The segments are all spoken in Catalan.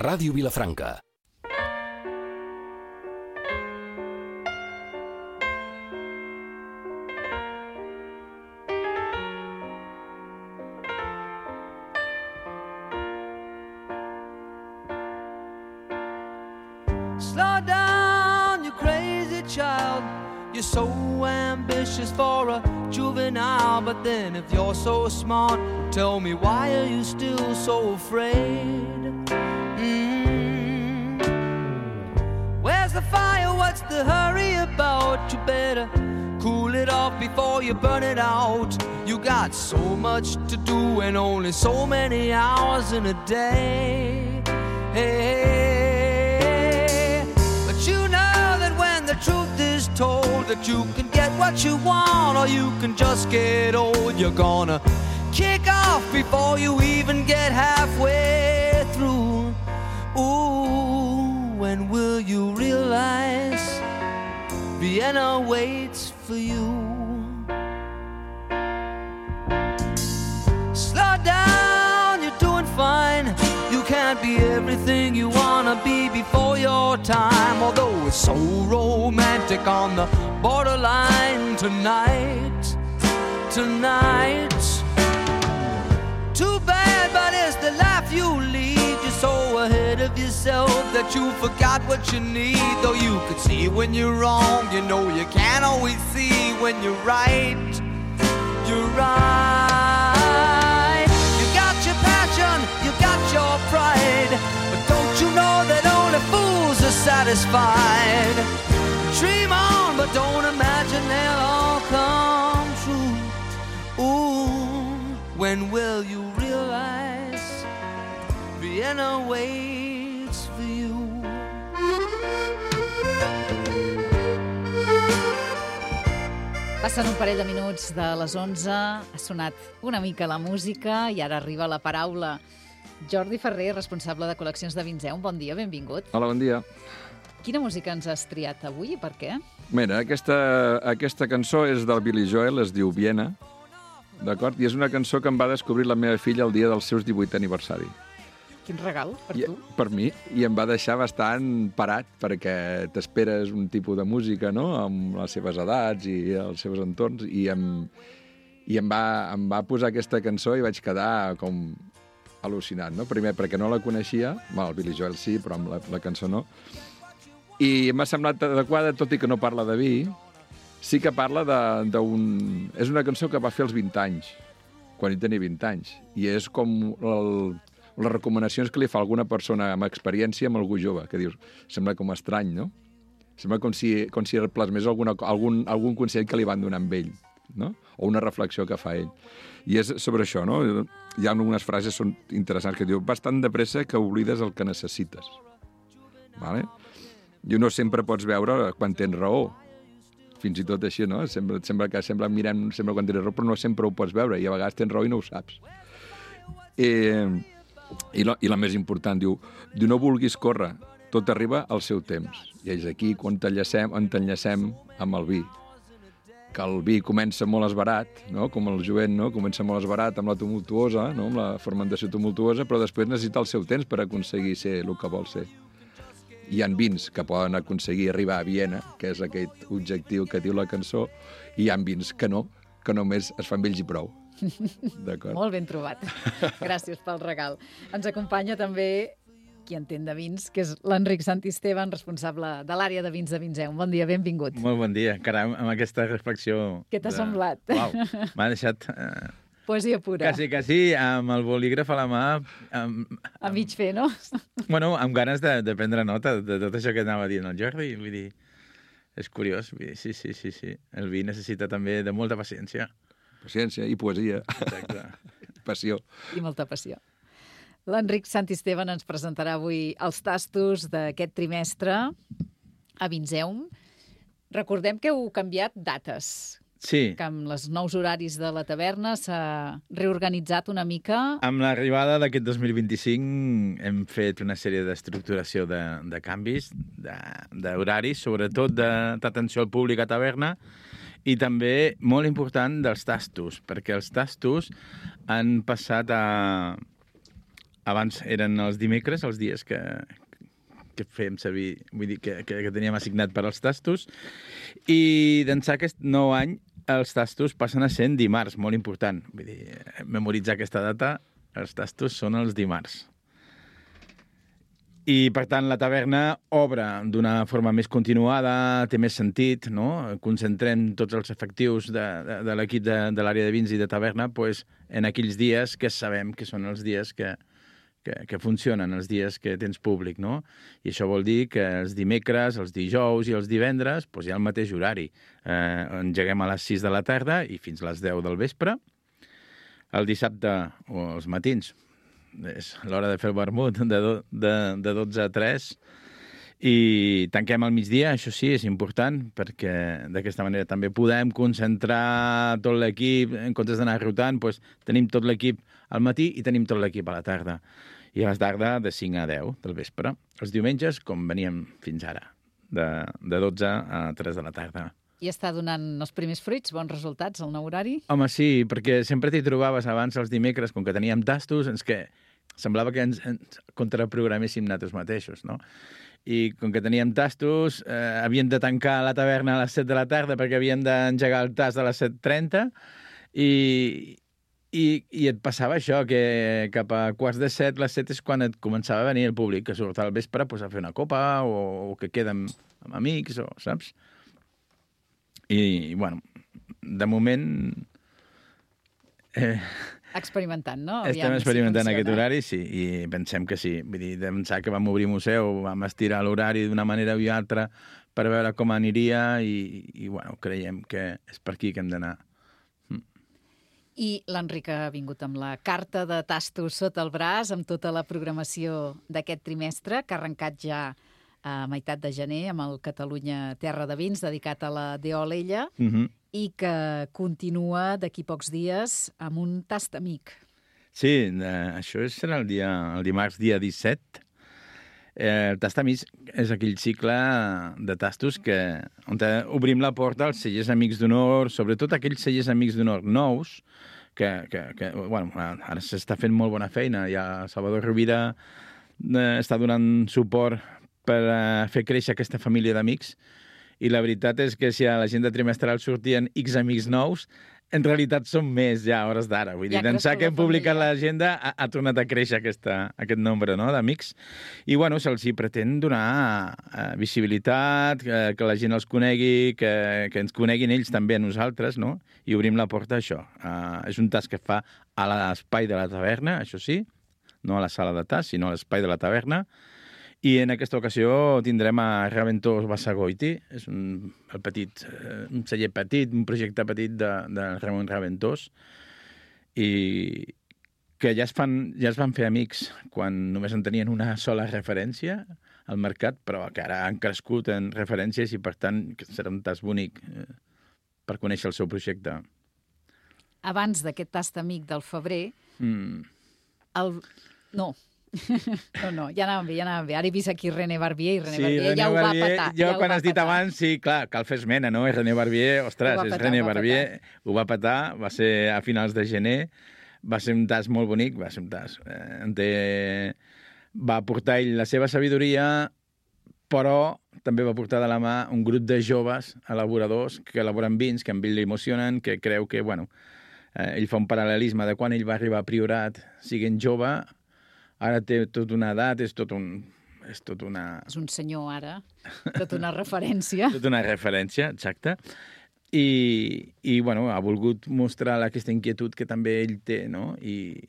Ràdio Vilafranca. Slow down, you crazy child. You're so ambitious for a juvenile. But then if you're so smart, tell me, why are you still so afraid? Where's the fire? What's the hurry about? You better cool it off before you burn it out. You got so much to do and only so many hours in a day. Hey, but you know that when the truth is told, that you can get what you want or you can just get old. You're gonna kick off before you even get halfway through. Ooh, when will you realize Vienna waits for you? Slow down, you're doing fine. You can't be everything you wanna be before your time. Although it's so romantic on the borderline tonight, tonight. Too bad, but it's the life you lead. You're so ahead of yourself that you forgot what you need. Though you could see when you're wrong, you know you can't always see when you're right. You're right. You got your passion, you got your pride, but don't you know that only fools are satisfied? Dream on, but don't imagine they'll all come true. Ooh, when will you realize Vienna waits for you? Passen un parell de minuts de les 11, ha sonat una mica la música i ara arriba la paraula. Jordi Ferrer, responsable de col·leccions de Vinzeu, bon dia, benvingut. Hola, bon dia. Quina música ens has triat avui i per què? Mira, aquesta cançó és del Billy Joel, es diu Viena, d'acord? I és una cançó que em va descobrir la meva filla el dia del seu 18è aniversari. Quin regal per tu. Per mi, i em va deixar bastant parat, perquè t'esperes un tipus de música, no?, amb les seves edats i els seus entorns, i em va posar aquesta cançó i vaig quedar com al·lucinat, no? Primer, perquè no la coneixia, el Billy Joel sí, però amb la cançó no, i m'ha semblat adequada, tot i que no parla de vi, sí que parla d'un... És una cançó que va fer als 20 anys, quan ell tenia 20 anys, i és com les recomanacions que li fa alguna persona amb experiència amb algú jove, que dius, sembla com estrany, no? Sembla com si plasmés algun consell que li van donar amb ell, no? O una reflexió que fa ell. I és sobre això, no? Hi ha algunes frases són interessants que diu, vas tan de pressa que oblides el que necessites. Vale? I no sempre pots veure quan tens raó. Fins i tot així, no? Sembla mirant quan tens raó, però no sempre ho pots veure, i a vegades tens raó i no ho saps. I la més important, diu, no vulguis córrer, tot arriba al seu temps. I és aquí quan t'enllacem amb el vi. Que el vi comença molt esbarat, no? Com el jovent, no? Comença molt esbarat amb la tumultuosa, no? Amb la fermentació tumultuosa, però després necessita el seu temps per aconseguir ser el que vol ser. Hi ha vins que poden aconseguir arribar a Viena, que és aquest objectiu que diu la cançó, i hi ha vins que no, que només es fan vells i prou. D'acord? Molt ben trobat. Gràcies pel regal. Ens acompanya també qui entén de vins, que és l'Enric Santisteban, responsable de l'àrea de vins de Vinzeu. Bon dia, benvingut. Molt bon dia. Caram, amb aquesta reflexió... Què t'ha semblat? Uau, m'ha deixat... Poesia pura. Quasi, amb el bolígraf a la mà... A mig fer, no? Bueno, amb ganes de prendre nota de tot això que anava dient el Jordi. Vull dir, és curiós. Vull dir, sí. El vi necessita també de molta paciència. Paciència i poesia. Exacte. Passió. I molta passió. L'Enric Santisteban ens presentarà avui els tastos d'aquest trimestre a Vinzeum. Recordem que heu canviat dates. Sí. Que amb els nous horaris de la taverna s'ha reorganitzat una mica. Amb l'arribada d'aquest 2025 hem fet una sèrie d'estructuració de canvis, d'horaris, sobretot d'atenció al públic a taverna, i també, molt important, dels tastos, perquè els tastos han passat abans eren els dimecres, els dies que fèiem servir, vull dir, que teníem assignat per als tastos, i d'ençà aquest nou any els tastos passen a ser dimarts, molt important. Vull dir, memoritzar aquesta data, els tastos són els dimarts. I, per tant, la taverna obre d'una forma més continuada, té més sentit, no? Concentrem tots els efectius de l'equip de l'àrea de vins i de taverna en aquells dies que sabem que són els dies que funcionen, els dies que tens públic, no? I això vol dir que els dimecres, els dijous i els divendres hi ha el mateix horari. Engeguem a les 6 de la tarda i fins a les 10 del vespre. El dissabte o els matins és l'hora de fer el vermut de 12 a 3 i tanquem al migdia, això sí, és important, perquè d'aquesta manera també podem concentrar tot l'equip, en comptes d'anar rotant, tenim tot l'equip al matí i tenim tot l'equip a la tarda. I a la tarda de 5 a 10 del vespre. Els diumenges, com veníem fins ara, de 12 a 3 de la tarda. I està donant els primers fruits, bons resultats, el nou horari? Home, sí, perquè sempre t'hi trobaves abans els dimecres, com que teníem tastos, que semblava que ens contraprograméssim nosaltres mateixos, no? I com que teníem tastos, havíem de tancar la taverna a les 7 de la tarda perquè havíem d'engegar el tast a les 7:30 i et passava això, que cap a quarts de 7, les 7 és quan et començava a venir el públic, que surt al vespre a fer una copa o que queda amb amics, saps? I, bueno, de moment... Experimentant, no? Estem experimentant aquest horari, sí, i pensem que sí. Vull dir, pensar que vam obrir museu, vam estirar l'horari d'una manera o altra per veure com aniria i bueno, creiem que és per aquí que hem d'anar. I l'Enric ha vingut amb la carta de tastos sota el braç, amb tota la programació d'aquest trimestre, que ha arrencat ja a meitat de gener amb el Catalunya Terra de Vins, dedicat a la D.O. Alella, i que continua d'aquí pocs dies amb un tast amic. Sí, això serà el dimarts, dia 17. El tast amic és aquell cicle de tastos on obrim la porta als cellers amics d'honor, sobretot aquells cellers amics d'honor nous, que bueno, ara s'està fent molt bona feina. Ja Salvador Rovira està donant suport per fer créixer aquesta família d'amics, i la veritat és que si a l'agenda trimestral sortien X amics nous, en realitat són més ja a hores d'ara. Vull dir, d'ençà que hem publicat l'agenda ha tornat a créixer aquest nombre, no, d'amics. I, bueno, se'ls hi pretén donar visibilitat, que la gent els conegui, que ens coneguin ells també a nosaltres, no? I obrim la porta a això. És un tast que fa a l'espai de la taverna, això sí, no a la sala de tast, sinó a l'espai de la taverna. I en aquesta ocasió tindrem a Raventós Bassagoiti, és un celler petit, un projecte petit de Ramon Raventós, i que ja es van fer amics quan només en tenien una sola referència al mercat, però que ara han crescut en referències i, per tant, serà un tast bonic per conèixer el seu projecte. Abans d'aquest tast amic del febrer, No, ja anàvem bé. Ara he vist aquí René Barbier, i René Barbier ja ho va petar. Quan has dit abans, sí, clar, cal fer esmena, no? René Barbier, ostres, és René Barbier, ho va petar, va ser a finals de gener, va ser un tast molt bonic, va ser un tast. Va portar ell la seva sabidoria, però també va portar de la mà un grup de joves elaboradors que elaboren vins, que amb ell l'emocionen, que creu que, bueno, ell fa un paral·lelisme de quan ell va arribar a Priorat, siguent jove. Ara té tota una edat, és un senyor ara, tota una referència. Tota una referència, exacte. I bueno, ha volgut mostrar aquesta inquietud que també ell té, no? I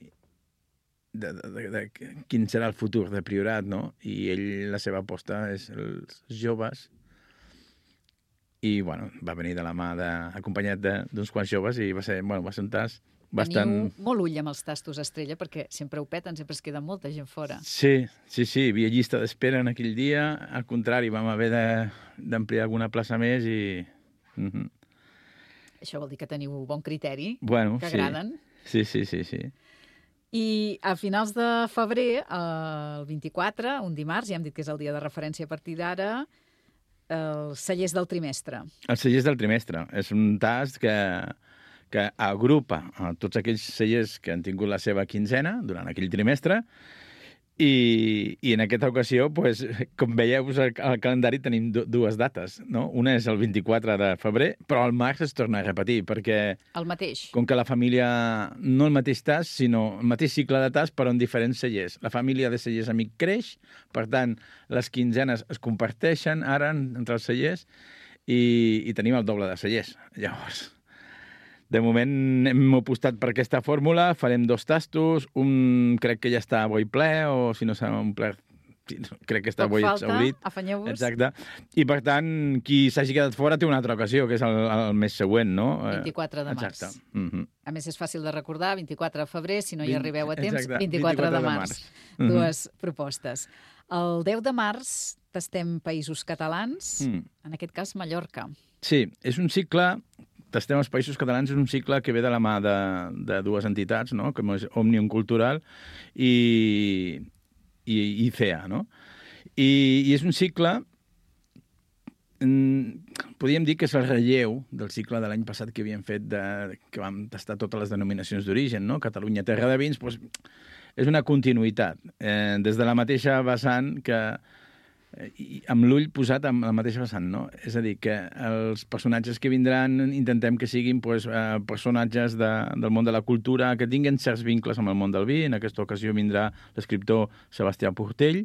de quin serà el futur de Priorat, no? I ell, la seva aposta és els joves. I, bueno, va venir de la mà acompanyat d'uns quants joves i va ser un tast bastant... Teniu molt ull amb els tastos estrella, perquè sempre ho peten, sempre es queda molta gent fora. Sí, hi havia llista d'espera en aquell dia. Al contrari, vam haver d'ampliar alguna plaça més i... Això vol dir que teniu bon criteri, que agraden. Sí. I a finals de febrer, el 24, un dimarts, ja hem dit que és el dia de referència a partir d'ara, els cellers del trimestre. Els cellers del trimestre. És un tast que que agrupa tots aquells cellers que han tingut la seva quinzena durant aquell trimestre, i en aquesta ocasió, pues, com veieu, al calendari tenim dues dates, no? Una és el 24 de febrer, però al març es torna a repetir, perquè... El mateix. Com que la família, no el mateix tas, sinó el mateix cicle de tas, però en diferents cellers. La família de cellers amic creix, per tant, les quinzenes es comparteixen ara entre els cellers i tenim el doble de cellers. Llavors... De moment hem apostat per aquesta fórmula, farem 2 tastos, un crec que ja està avui ple, o si no s'ha omplert, crec que està avui exhaurit. Afanyeu-vos. Exacte. I per tant, qui s'hagi quedat fora té una altra ocasió, que és el mes següent, no? 24 de març. Exacte. A més, és fàcil de recordar, 24 de febrer, si no hi arribeu a temps, exacte. 24 de març. Dues propostes. El 10 de març tastem Països Catalans, en aquest cas Mallorca. Sí, és un cicle... Tastem els Països Catalans és un cicle que ve de la mà de dues entitats, no? Com és Òmnium Cultural i CEA, no? I és un cicle... Podríem dir que és el relleu del cicle de l'any passat que havíem fet, que vam tastar totes les denominacions d'origen, no? Catalunya, terra de vins, doncs és una continuïtat. Des de la mateixa vessant que... amb l'ull posat amb la mateixa vessant, no? És a dir, que els personatges que vindran intentem que siguin personatges del món de la cultura, que tinguin certs vincles amb el món del vi. En aquesta ocasió vindrà l'escriptor Sebastià Portell,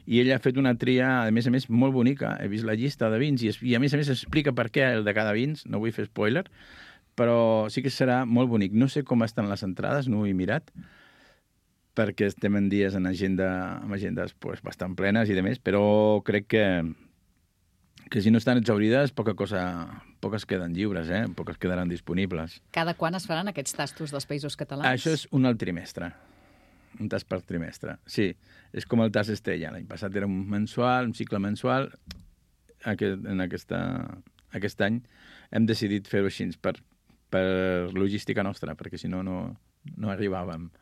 i ell ha fet una tria, a més, molt bonica. He vist la llista de vins i a més explica per què el de cada vins. No vull fer spoiler, però sí que serà molt bonic. No sé com estan les entrades, no ho he mirat, perquè estem en dies amb agendes pues, bastant plenes i demés, però crec que si no estan exaurides, poques queden lliures, poques quedaran disponibles. Cada quan es faran aquests tastos dels Països Catalans? Això és un al trimestre, un tast per trimestre. Sí, és com el tast Estella. L'any passat era un cicle mensual. Aquest any hem decidit fer-ho així per logística nostra, perquè si no, no arribàvem.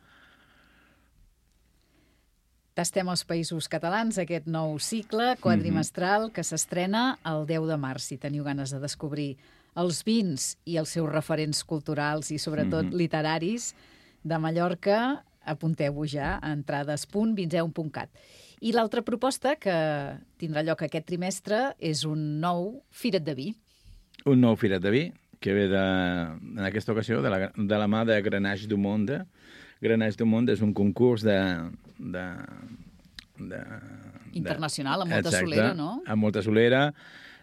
Tastem els Països Catalans, aquest nou cicle quadrimestral que s'estrena el 10 de març. Si teniu ganes de descobrir els vins i els seus referents culturals i sobretot literaris de Mallorca, apunteu-vos ja a entrades.vinzeu.cat. I l'altra proposta que tindrà lloc aquest trimestre és un nou Firet de Vi. Un nou Firet de Vi que ve, en aquesta ocasió, de la mà de Grenache du Monde. Grenache du Monde és un concurs internacional, amb molta solera, no? Amb molta solera.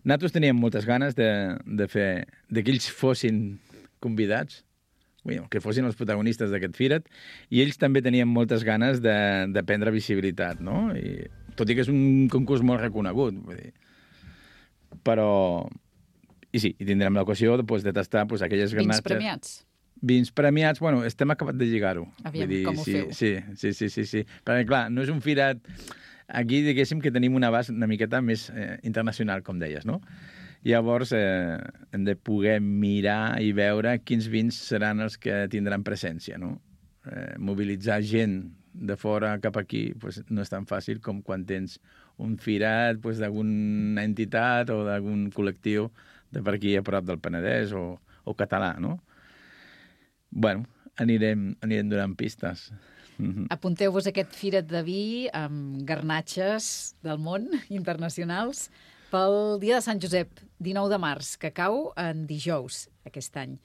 Nosaltres teníem moltes ganes de fer que ells fossin convidats, que fossin els protagonistes d'aquest Firet, i ells també tenien moltes ganes de prendre visibilitat, no? Tot i que és un concurs molt reconegut, vull dir. Però... I sí, tindrem l'ocasió de tastar aquelles vins premiats. Vins premiats, bueno, estem acabat de lligar-ho. Aviam, com ho feu. Sí. Perquè, clar, no és un Firet... Aquí, diguéssim, que tenim un abast una miqueta més internacional, com deies, no? Llavors, hem de poder mirar i veure quins vins seran els que tindran presència, no? Mobilitzar gent de fora cap aquí no és tan fàcil com quan tens un Firet d'alguna entitat o d'algun col·lectiu de per aquí a prop del Penedès o català, no? Bueno, anirem donant pistes. Apunteu-vos aquest Firet de Vi amb garnatges del món internacionals pel dia de Sant Josep, 19 de març, que cau en dijous aquest any.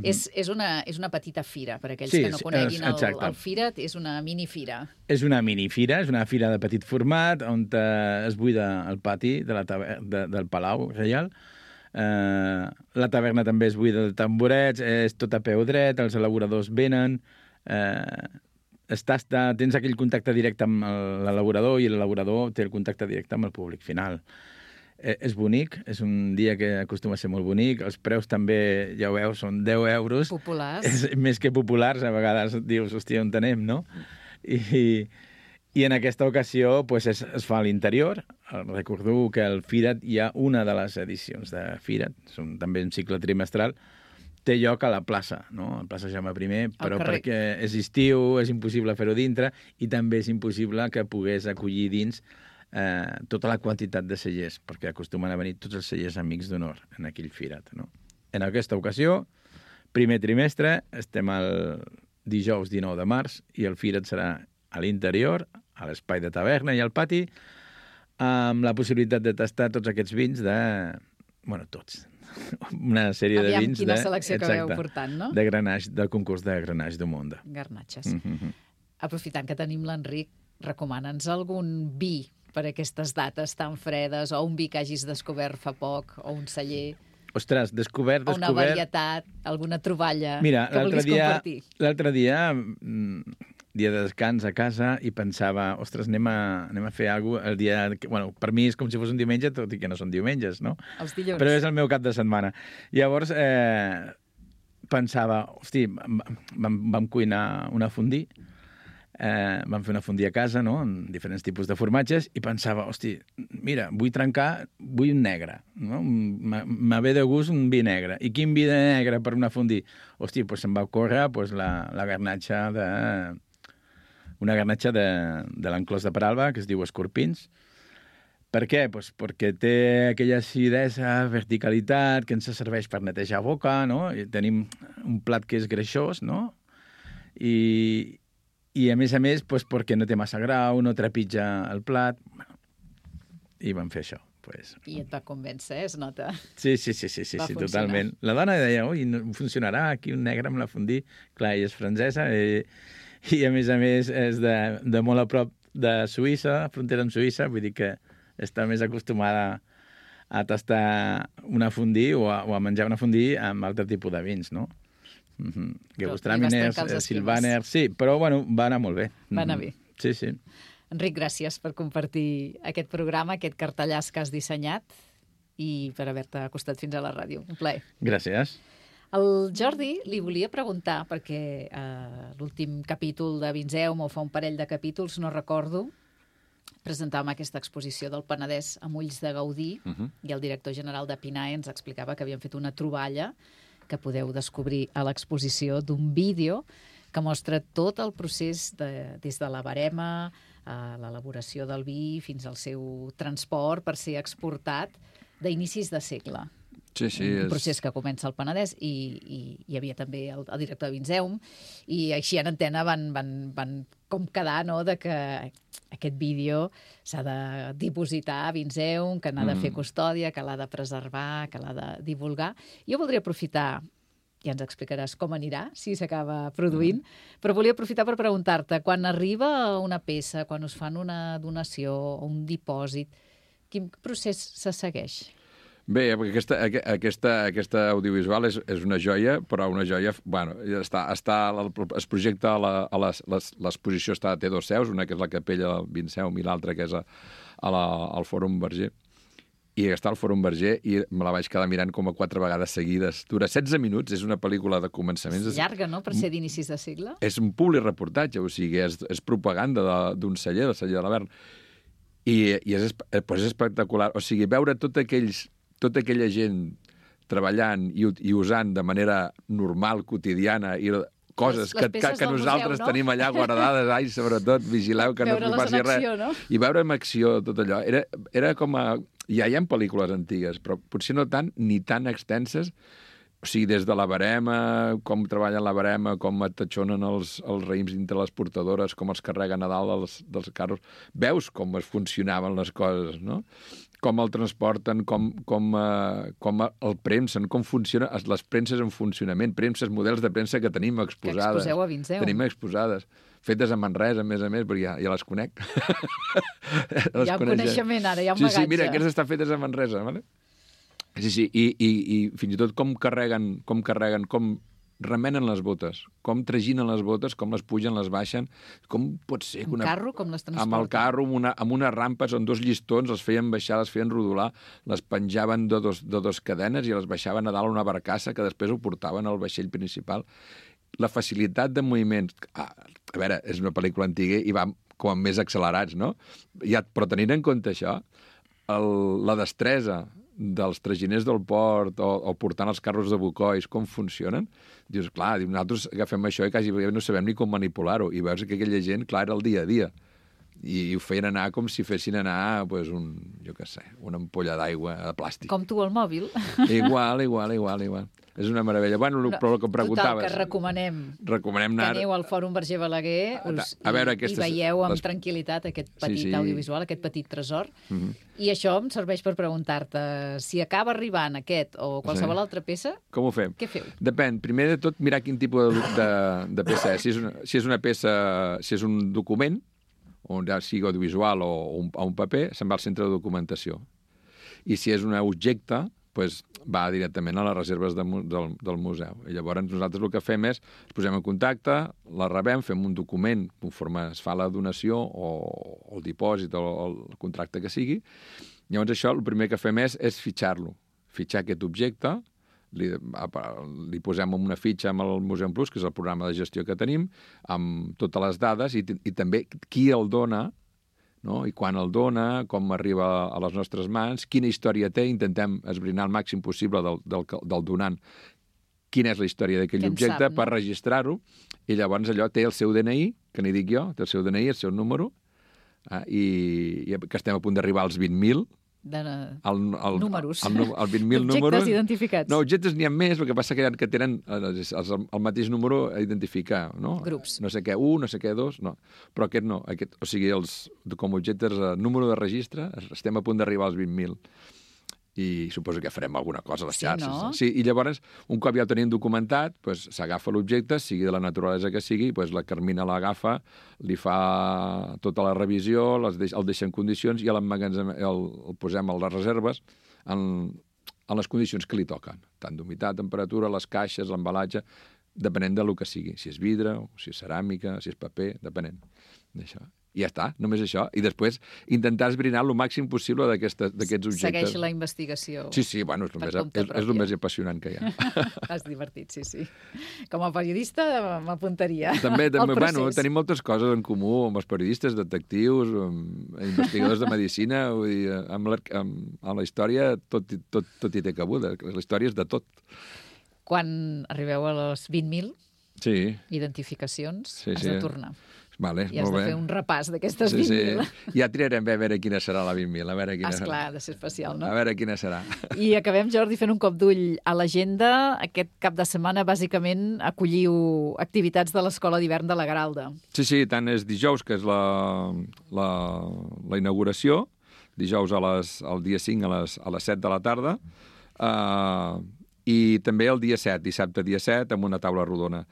És una petita fira, per aquells que no coneguin el Firet, és una minifira. És una minifira, és una fira de petit format on es buida el pati del Palau Reial. La taverna també es buida de tamborets, és tot a peu dret, els elaboradors venen, tens aquell contacte directe amb l'elaborador i l'elaborador té el contacte directe amb el públic final. És bonic, és un dia que acostuma a ser molt bonic, els preus també, ja ho veus, són 10 euros. Populars. Més que populars, a vegades dius, hòstia, on anem, no? I en aquesta ocasió es fa a l'interior. Recordeu que al Firet hi ha una de les edicions de Firet, són també un cicle trimestral, té lloc a la plaça, no? A la plaça Jaume I, però perquè és estiu, és impossible fer-ho dintre i també és impossible que pogués acollir dins tota la quantitat de cellers, perquè acostumen a venir tots els cellers amics d'honor en aquell Firet, no? En aquesta ocasió, primer trimestre, estem el dijous 19 de març i el Firet serà a l'interior, a l'espai de taverna i al pati, amb la possibilitat de tastar tots aquests vins de... Bueno, tots. Una sèrie de vins quina selecció que veu portant, no? De Grenache, del concurs de Grenache du Monde. Garnatxes. Aprofitant que tenim l'Enric, recomana'ns algun vi per aquestes dates tan fredes, o un vi que hagis descobert fa poc, o un celler... Ostres, descobert... O una varietat, alguna troballa que vulguis compartir. L'altre dia, dia de descans a casa, i pensava, ostres, anem a fer alguna cosa el dia... Bueno, per mi és com si fos un diumenge, tot i que no són diumenges, no? Els dilluns. Però és el meu cap de setmana. Llavors, pensava, hosti, vam cuinar una fondue, vam fer una fondue a casa, no?, amb diferents tipus de formatges, i pensava, hosti, mira, vull un negre, no? M'ha ve de gust un vi negre. I quin vi de negre per una fondue? Hosti, doncs se'm va córrer la garnatxa una garnatxa de l'enclòs de Peralba, que es diu Escorpins. Per què? Pues perquè té aquella acidesa, verticalitat, que ens serveix per netejar boca, no? I tenim un plat que és greixós, no? I a més, pues, perquè no té massa grau, no trepitja el plat. I vam fer això. Pues... I et va convèncer, es nota. Sí, totalment. La dona deia, ui, no funcionarà aquí un negre amb la fondue. Clar, ella és francesa i a més és de molt a prop de Suïssa, frontera amb Suïssa, vull dir que està més acostumada a tastar una fondue o a menjar una fondue amb altre tipus de vins, no? Gewürztraminers, Sylvaner... Sí, però, bueno, va anar molt bé. Va anar bé. Sí. Enric, gràcies per compartir aquest programa, aquest cartellàs que has dissenyat i per haver-te acostat fins a la ràdio. Un plaer. Gràcies. El Jordi li volia preguntar, perquè l'últim capítol de Vinseum, o fa un parell de capítols, no recordo, presentàvem aquesta exposició del Penedès amb ulls de Gaudí i el director general de PINAE ens explicava que havien fet una troballa que podeu descobrir a l'exposició d'un vídeo que mostra tot el procés des de la barema, l'elaboració del vi, fins al seu transport per ser exportat d'inicis de segle. Sí, un procés que comença al Penedès i hi havia també el director de Vinseum i així en antena van com quedar, no?, de que aquest vídeo s'ha de dipositar a Vinseum, que n'ha de fer custòdia, que l'ha de preservar, que l'ha de divulgar. Jo voldria aprofitar, ja ens explicaràs com anirà, si s'acaba produint, però volia aprofitar per preguntar-te, quan arriba una peça, quan us fan una donació o un dipòsit, quin procés se segueix? Bé, perquè aquesta audiovisual és una joia, però una joia... Bueno, es projecta l'exposició té dos seus, una que és la capella del Vinseum i l'altra que és al Fòrum Verger. I està al Fòrum Verger i me la vaig quedar mirant com a 4 vegades seguides. Dura 16 minuts, és una pel·lícula de començaments. És llarga, no?, per ser d'inicis de segle. És un publireportatge, o sigui, és propaganda d'un celler, del celler de l'Avern. I és espectacular. O sigui, veure tota aquella gent treballant i usant de manera normal, quotidiana, i coses que nosaltres tenim allà guardades, sobretot, vigileu que no passi res. No? I veure en acció tot allò. Era com a... Ja hi ha pel·lícules antigues, però potser no tant, ni tan extenses. O sigui, des de la barema, com treballen la barema, com atatxonen els raïms dintre les portadores, com els carreguen a dalt dels carros. Veus com es funcionaven les coses, no? Com el transporten, com el premsen, com funcionen les premses en funcionament, premses, models de premsa que tenim exposades. Que exposeu a Vinseum. Tenim exposades. Fetes a Manresa, a més, perquè ja les conec. Hi ha coneixement ara, hi ha un bagatge. Sí, mira, aquestes estan fetes a Manresa, ¿vale? Sí, i fins i tot com carreguen, com remenen les botes, com traginen les botes, com les pugen, les baixen, com pot ser... Amb carro, com les transporten? Amb el carro, amb unes rampes on 2 llistons, les feien baixar, les feien rodolar, les penjaven de dos cadenes i les baixaven a dalt una barcassa que després ho portaven al vaixell principal. La facilitat de moviments... A veure, és una pel·lícula antiga i va com més accelerats, no? Però tenint en compte això, la destresa dels traginers del port o portant els carros de bucois, com funcionen, dius, clar, nosaltres agafem això i quasi no sabem ni com manipular-ho. I veus que aquella gent, clar, era el dia a dia. I ho feien anar com si fessin anar, pues, una ampolla d'aigua de plàstic. Com tu al mòbil. Igual. És una meravella. Bueno, però el que em preguntaves... Total, que recomanem anar... que aneu al Fòrum Verger Balaguer i veieu amb tranquil·litat aquest petit audiovisual, aquest petit tresor. I això em serveix per preguntar-te si acaba arribant aquest o qualsevol altra peça, com ho fem? Què feu? Depèn. Primer de tot, mirar quin tipus de peça és. Si és una peça, si és un document, o ja sigui audiovisual o un paper, se'n va al centre de documentació. I si és un objecte, doncs va directament a les reserves del museu. I llavors nosaltres el que fem és, ens posem en contacte, la rebem, fem un document conforme es fa la donació o el dipòsit o el contracte que sigui. Llavors això, el primer que fem és fitxar-lo. Fitxar aquest objecte, li posem una fitxa amb el Museum Plus, que és el programa de gestió que tenim, amb totes les dades i també qui el dona, no? I quan el dona, com arriba a les nostres mans, quina història té, intentem esbrinar el màxim possible del donant quina és la història d'aquell objecte per registrar-ho, i llavors allò té el seu DNI, que n'hi dic jo, té el seu DNI, el seu número, i que estem a punt d'arribar als 20.000, números. El 20.000 números. Objectes identificats. No, objectes n'hi ha més, el que passa que tenen el mateix número a identificar, no? Grups. No sé què, 1, no sé què, 2, no. Però aquest no. O sigui, com objectes, número de registre, estem a punt d'arribar als 20.000. I suposo que farem alguna cosa a les xarxes. No? Sí, i llavors, un cop ja el tenim documentat, s'agafa l'objecte, sigui de la naturalesa que sigui, la Carmina l'agafa, li fa tota la revisió, el deixa en condicions i el posem a les reserves en les condicions que li toquen, tant d'humitat, temperatura, les caixes, l'embalatge, depenent del que sigui, si és vidre, si és ceràmica, si és paper, depenent d'això. I ja està, només això. I després intentar esbrinar el màxim possible d'aquests objectes. Segueix la investigació. Sí, bueno, és el més apassionant que hi ha. És divertit, sí. Com a periodista m'apuntaria. També bueno, tenim moltes coses en comú amb els periodistes, detectius, investigadors de medicina, vull dir, amb la història tot hi té cabuda. La història és de tot. Quan arribeu a les 20.000 identificacions, has de tornar. Vale, i has de fer un repàs d'aquestes 20.000. Sí. Ja triarem a veure quina serà la 20.000. Esclar, ha de ser especial, no? A veure quina serà. I acabem, Jordi, fent un cop d'ull a l'agenda. Aquest cap de setmana, bàsicament, acolliu activitats de l'Escola d'Hivern de la Garalda. Sí, tant és dijous, que és la inauguració, dijous el dia 5 a les 7 de la tarda, i també el dia 7, dissabte dia 7, amb una taula rodona.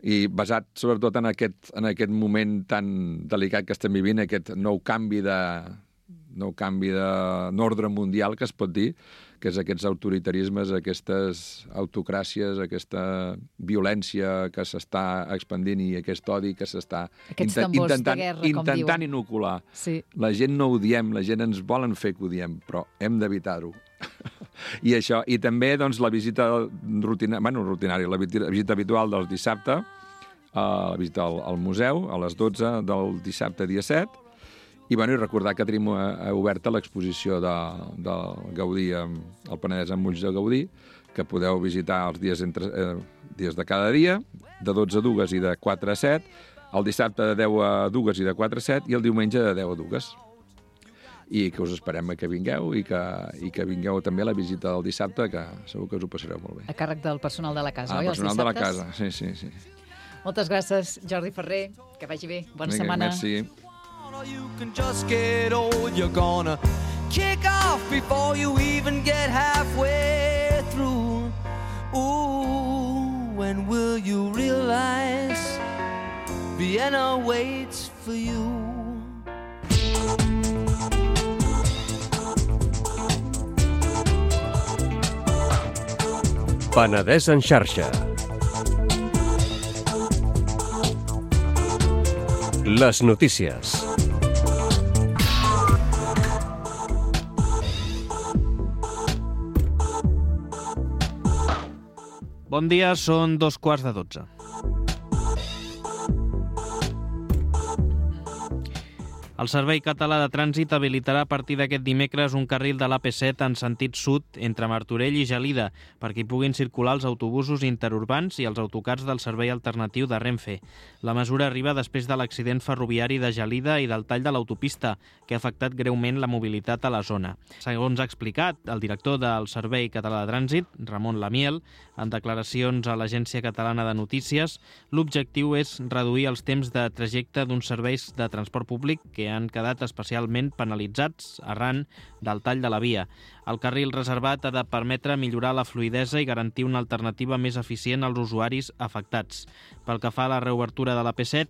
I basat sobretot en aquest moment tan delicat que estem vivint, aquest nou canvi d'ordre mundial, que es pot dir, que és aquests autoritarismes, aquestes autocràcies, aquesta violència que s'està expandint i aquest odi que s'està intentant inocular. Sí. La gent no ho diem, la gent ens volen fer que ho diem, però hem d'evitar-ho. I això, i també doncs, la visita rutinària, la visita habitual del dissabte, la visita al museu a les 12 del dissabte dia 7, i recordar que tenim oberta l'exposició del Gaudí, el Penedès amb ulls de Gaudí, que podeu visitar els dies de cada dia, de 12 a 2 i de 4 a 7, el dissabte de 10 a 2 i de 4 a 7, i el diumenge de 10 a 2. I que us esperem que vingueu i que vingueu també a la visita del dissabte, que segur que us ho passareu molt bé. A càrrec del personal de la casa, oi? El personal de la casa, sí. Moltes gràcies, Jordi Ferrer. Que vagi bé. Bona setmana. Merci. You can just get old, you're gonna kick off before you even get halfway through. Ooh, when will you realize Vienna waits for you? Penedès en xarxa. Les notícies. Bon dia, són 2:15. El Servei Català de Trànsit habilitarà a partir d'aquest dimecres un carril de l'AP7 en sentit sud entre Martorell i Gelida perquè hi puguin circular els autobusos interurbans i els autocars del servei alternatiu de Renfe. La mesura arriba després de l'accident ferroviari de Gelida i del tall de l'autopista, que ha afectat greument la mobilitat a la zona. Segons ha explicat el director del Servei Català de Trànsit, Ramon Lamiel, en declaracions a l'Agència Catalana de Notícies, l'objectiu és reduir els temps de trajecte d'uns serveis de transport públic que han quedat especialment penalitzats arran del tall de la via. El carril reservat ha de permetre millorar la fluïdesa i garantir una alternativa més eficient als usuaris afectats. Pel que fa a la reobertura de l'AP7,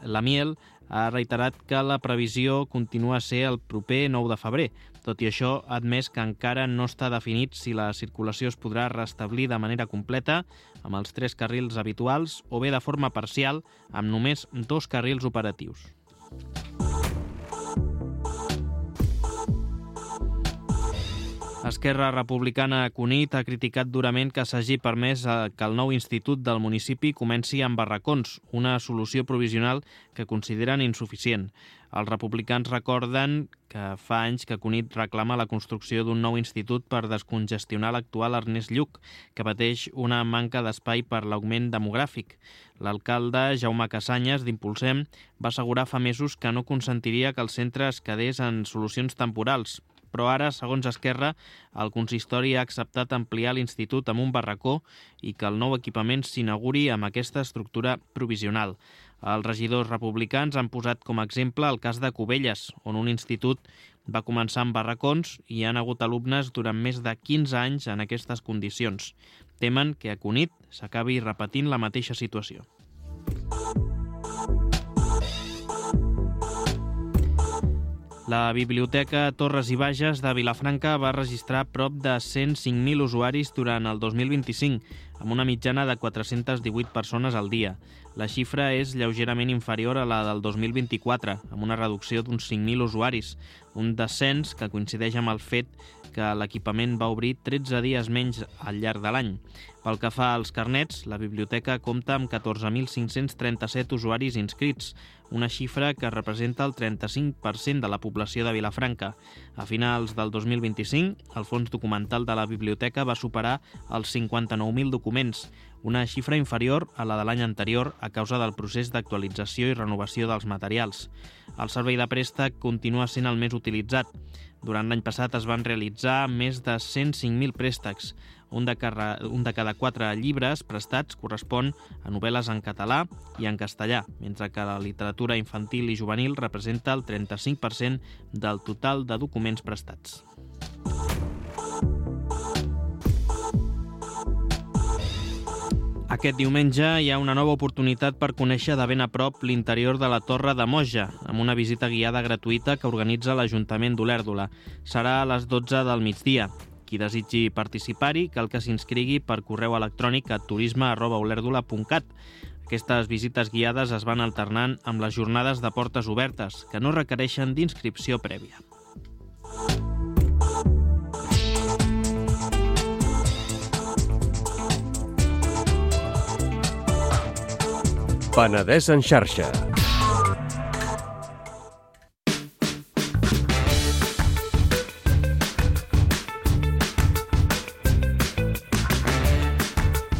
Lamiel ha reiterat que la previsió continua a ser el proper 9 de febrer. Tot i això, ha admès que encara no està definit si la circulació es podrà restablir de manera completa amb els 3 carrils habituals o bé de forma parcial amb només 2 carrils operatius. Esquerra Republicana a Cunit ha criticat durament que s'hagi permès que el nou institut del municipi comenci amb barracons, una solució provisional que consideren insuficient. Els republicans recorden que fa anys que Cunit reclama la construcció d'un nou institut per descongestionar l'actual Ernest Lluch, que pateix una manca d'espai per l'augment demogràfic. L'alcalde Jaume Casanyes, d'Impulsem, va assegurar fa mesos que no consentiria que el centre es quedés en solucions temporals, però ara, segons Esquerra, el consistori ha acceptat ampliar l'institut amb un barracó i que el nou equipament s'inauguri amb aquesta estructura provisional. Els regidors republicans han posat com a exemple el cas de Cubelles, on un institut va començar amb barracons i hi ha hagut alumnes durant més de 15 anys en aquestes condicions. Temen que a Cunit s'acabi repetint la mateixa situació. La Biblioteca Torres i Bages de Vilafranca va registrar prop de 105.000 usuaris durant el 2025, amb una mitjana de 418 persones al dia. La xifra és lleugerament inferior a la del 2024, amb una reducció d'uns 5.000 usuaris, un descens que coincideix amb el fet que l'equipament va obrir 13 dies menys al llarg de l'any. Pel que fa als carnets, la biblioteca compta amb 14.537 usuaris inscrits, una xifra que representa el 35% de la població de Vilafranca. A finals del 2025, el fons documental de la biblioteca va superar els 59.000 documents, una xifra inferior a la de l'any anterior a causa del procés d'actualització i renovació dels materials. El servei de préstec continua sent el més utilitzat. Durant l'any passat es van realitzar més de 105.000 préstecs. Un de cada 4 llibres prestats correspon a novel·les en català i en castellà, mentre que la literatura infantil i juvenil representa el 35% del total de documents prestats. Aquest diumenge hi ha una nova oportunitat per conèixer de ben a prop l'interior de la Torre de Moja, amb una visita guiada gratuïta que organitza l'Ajuntament d'Olèrdola. Serà a les 12 del migdia. Qui desitgi participar-hi cal que s'inscrigui per correu electrònic a turisme@olerdola.cat. Aquestes visites guiades es van alternant amb les jornades de portes obertes, que no requereixen d'inscripció prèvia. Penedès en xarxa.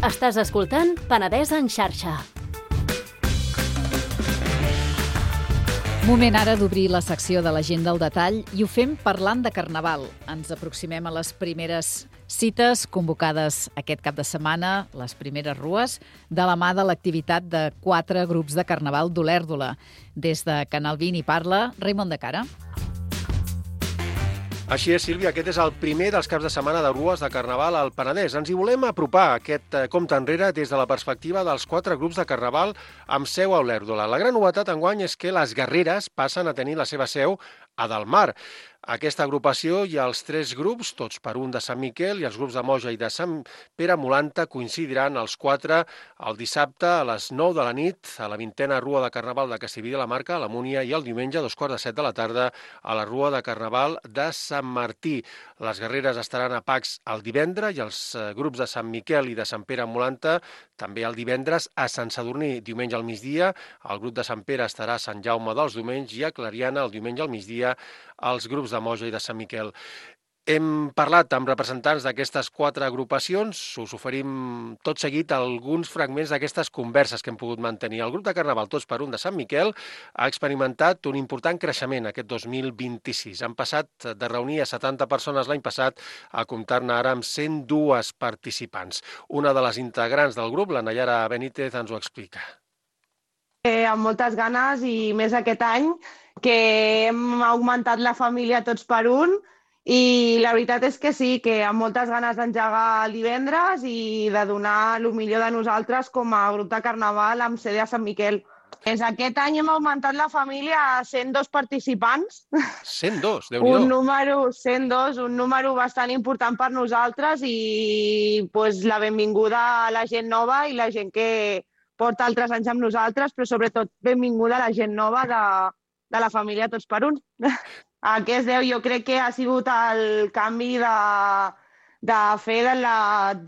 Estàs escoltant Penedès en xarxa. Moment ara d'obrir la secció de l'agenda al detall i ho fem parlant de Carnaval. Ens aproximem a les primeres cites convocades aquest cap de setmana, les primeres rues, de la mà de l'activitat de 4 grups de Carnaval d'Olèrdola. Des de Canal 20 hi parla Raimon de Cara. Així és, Sílvia, aquest és el primer dels caps de setmana de rues de Carnaval al Penedès. Ens hi volem apropar aquest compte enrere des de la perspectiva dels 4 grups de Carnaval amb seu a Olèrdola. La gran novetat enguany és que les guerreres passen a tenir la seva seu a Delmar. Aquesta agrupació i els 3 grups, tots per un de Sant Miquel, i els grups de Moja i de Sant Pere Molanta coincidiran els 4 el dissabte a les 9 de la nit a la 20a Rua de Carnaval de Castellví de la Marca, a la Múnia, i el diumenge a 2:45 de la tarda a la Rua de Carnaval de Sant Martí. Les guerreres estaran a Pacs el divendres i els grups de Sant Miquel i de Sant Pere Molanta també el divendres a Sant Sadurní, diumenge al migdia. El grup de Sant Pere estarà a Sant Jaume dels Domenys i a Clariana el diumenge al migdia els grups de Moja i de Sant Miquel. Hem parlat amb representants d'aquestes 4 agrupacions, us oferim tot seguit alguns fragments d'aquestes converses que hem pogut mantenir. El grup de Carnaval Tots per un de Sant Miquel ha experimentat un important creixement aquest 2026. Han passat de reunir a 70 persones l'any passat a comptar-ne ara amb 102 participants. Una de les integrants del grup, la Nayara Benítez, ens ho explica. Amb moltes ganes i més aquest any, que hem augmentat la família Tots per un, i la veritat és que sí, que amb moltes ganes d'engegar el divendres i de donar el millor de nosaltres com a grup de Carnaval amb sede a Sant Miquel. Aquest any hem augmentat la família a 102 participants. 102, Déu-n'hi-do. 102, un número bastant important per nosaltres i la benvinguda a la gent nova i la gent que porta altres anys amb nosaltres, però sobretot benvinguda a la gent nova de la família Tots per un. A què es deu? Jo crec que ha sigut el canvi de fer de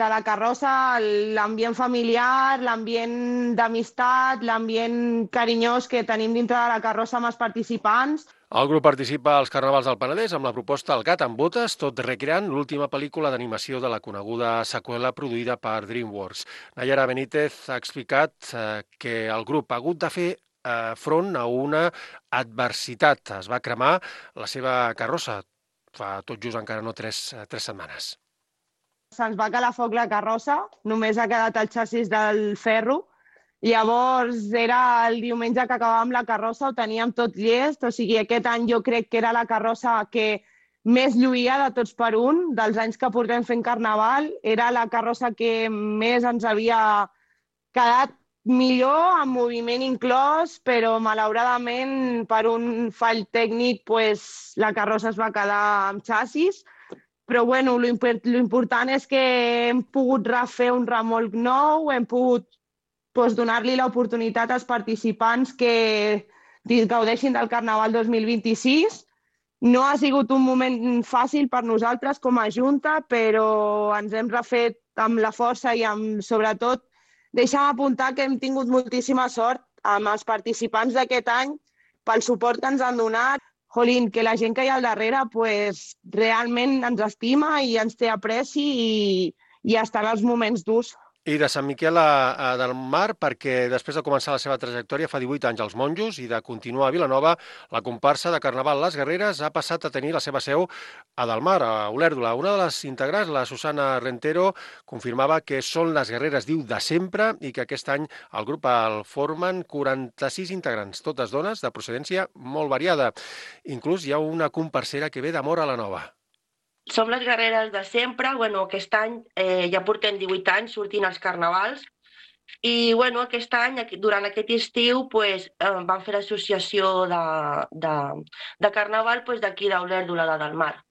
la carrossa l'ambient familiar, l'ambient d'amistat, l'ambient carinyós que tenim dintre de la carrossa amb els participants. El grup participa als Carnavals del Penedès amb la proposta El gat amb botes, tot recreant l'última pel·lícula d'animació de la coneguda seqüela produïda per DreamWorks. Nayara Benítez ha explicat que el grup ha hagut de fer front a una adversitat. Es va cremar la seva carrossa fa tot just encara no 3 setmanes. Se'ns va calar foc la carrossa, només ha quedat el xassis del ferro. Llavors era el diumenge que acabàvem la carrossa, ho teníem tot llest, o sigui, aquest any jo crec que era la carrossa que més lluïa de Tots per un, dels anys que portem fent Carnaval, era la carrossa que més ens havia quedat millor, amb moviment inclòs, però malauradament per un fall tècnic la carrossa es va quedar amb xassis. Però bueno, l'important és que hem pogut refer un remolc nou, hem pogut donar-li l'oportunitat als participants que gaudeixin del Carnaval 2026. No ha sigut un moment fàcil per nosaltres com a Junta, però ens hem refet amb la força i sobretot deixa'm apuntar que hem tingut moltíssima sort amb els participants d'aquest any pel suport que ens han donat. Jolín, que la gent que hi ha al darrere realment ens estima i ens té apreci i està en els moments durs. I de Sant Miquel del Mar, perquè després de començar la seva trajectòria fa 18 anys als Monjos i de continuar a Vilanova, la comparsa de Carnaval Les Guerreres ha passat a tenir la seva seu a Del Mar, a Olèrdola. Una de les integrants, la Susana Rentero, confirmava que són les guerreres, diu, de sempre i que aquest any el grup el formen 46 integrants, totes dones de procedència molt variada. Inclús hi ha una comparsera que ve de Móra la Nova. Som les guerreres de sempre. Aquest any ja portem 18 anys sortint als carnavals i aquest any, durant aquest estiu, vam fer l'associació de carnaval d'aquí d'Olèrdola de Del Mar.